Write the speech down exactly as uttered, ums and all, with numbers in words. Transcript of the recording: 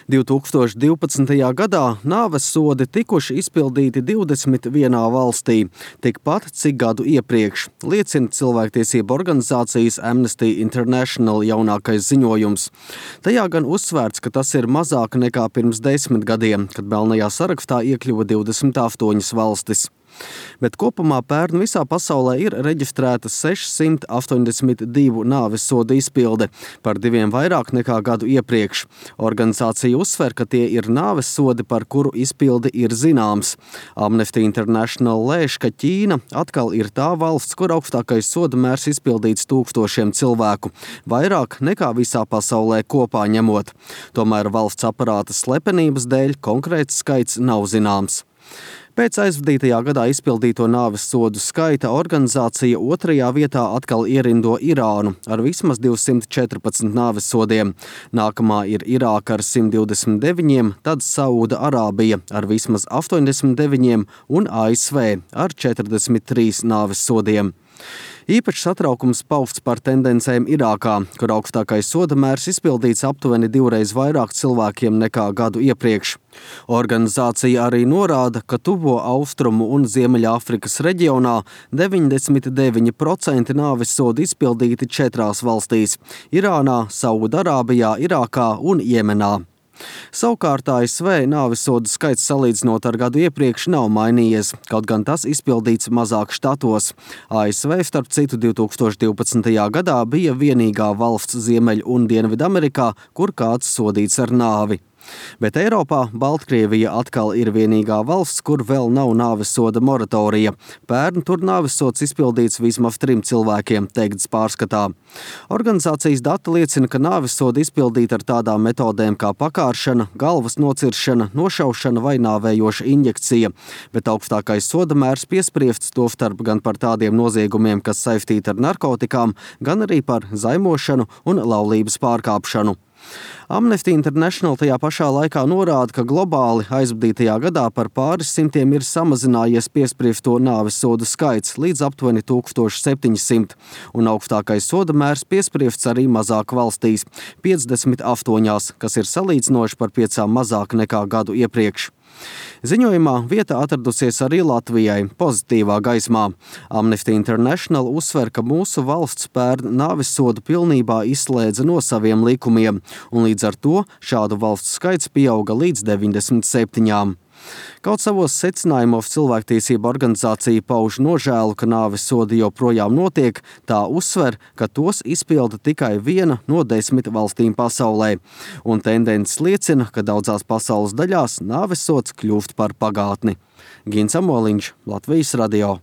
divi tūkstoši divpadsmitajā gadā nāves sodi tikuši izpildīti divdesmit vienā valstī, tikpat cik gadu iepriekš, liecina cilvēktiesību organizācijas Amnesty International jaunākais ziņojums. Tajā gan uzsvērts, ka tas ir mazāk nekā pirms desmit gadiem, kad melnajā sarakstā iekļuva divdesmit astoņas valstis. Bet kopumā pērn visā pasaulē ir reģistrēta sešsimt astoņdesmit divu nāves sodu izpilde, par diviem vairāk nekā gadu iepriekš. Organizācija uzsver, ka tie ir nāves sodi, par kuru izpildi ir zināms. Amnesty International lēš, ka Ķīna atkal ir tā valsts, kur augstākais soda mērs izpildīts tūkstošiem cilvēku, vairāk nekā visā pasaulē kopā ņemot. Tomēr valsts aparāta slepenības dēļ konkrēts skaits nav zināms. Pēc aizvadītajā gadā izpildīto nāves sodu skaita organizācija otrajā vietā atkal ierindo Irānu ar vismaz divsimt četrpadsmit nāves sodiem. Nākamā ir Irāka ar simt divdesmit deviņiem, tad Saūda Arābija ar vismaz astoņdesmit deviņiem un A S V ar četrdesmit trīs nāves sodiem. Īpašs satraukums pausts par tendencēm Irākā, kur augstākais soda mērs izpildīts aptuveni divreiz vairāk cilvēkiem nekā gadu iepriekš. Organizācija arī norāda, ka Tuvo Austrumu un Ziemeļāfrikas reģionā deviņdesmit deviņi procenti nāves sodu izpildīti četrās valstīs – Irānā, Saūdarābijā, Irākā un Jemenā. Savukārt A S V nāvesodu skaits salīdzinot ar gadu iepriekš nav mainījies, kaut gan tas izpildīts mazāk štatos. A S V, starp citu, divi tūkstoši divpadsmitajā gadā bija vienīgā valsts Ziemeļ- un Dienvidamerikā, kur kāds sodīts ar nāvi. Bet Eiropā Baltkrievija atkal ir vienīgā valsts, kur vēl nav nāvesoda moratorija. Pērn tur nāvesods izpildīts vismaz trim cilvēkiem, teikts pārskatā. Organizācijas dati liecina, ka nāvesoda izpildīta ar tādām metodēm kā pakāršana, galvas nociršana, nošaušana vai nāvējoša injekcija, bet augstākais soda mērs piespriests tostarp gan par tādiem noziegumiem, kas saistīti ar narkotikām, gan arī par zaimošanu un laulības pārkāpšanu. Amnesty International tajā pašā laikā norāda, ka globāli aizvadītajā gadā par pāris simtiem ir samazinājies piespriesto nāves sodu skaits līdz aptuveni tūkstoš septiņi simti, un augstākais soda mērs piespriests arī mazāk valstīs – piecdesmit astoņās, kas ir salīdzinoši par piecām mazāk nekā gadu iepriekš. Ziņojumā vieta atradusies arī Latvijai pozitīvā gaismā. Amnesty International uzsver, ka mūsu valsts pērn nāves sodu pilnībā izslēdza no saviem likumiem, un līdz ar to šādu valstu skaits pieauga līdz deviņdesmit septiņām. Kaut savos secinājumos cilvēktiesība organizācija pauž nožēlu, ka nāves sodi joprojām notiek, tā uzsver, ka tos izpilda tikai viena no desmit valstīm pasaulē. Un tendences liecina, ka daudzās pasaules daļās nāves sods kļūst par pagātni. Gins Amoliņš, Latvijas radio.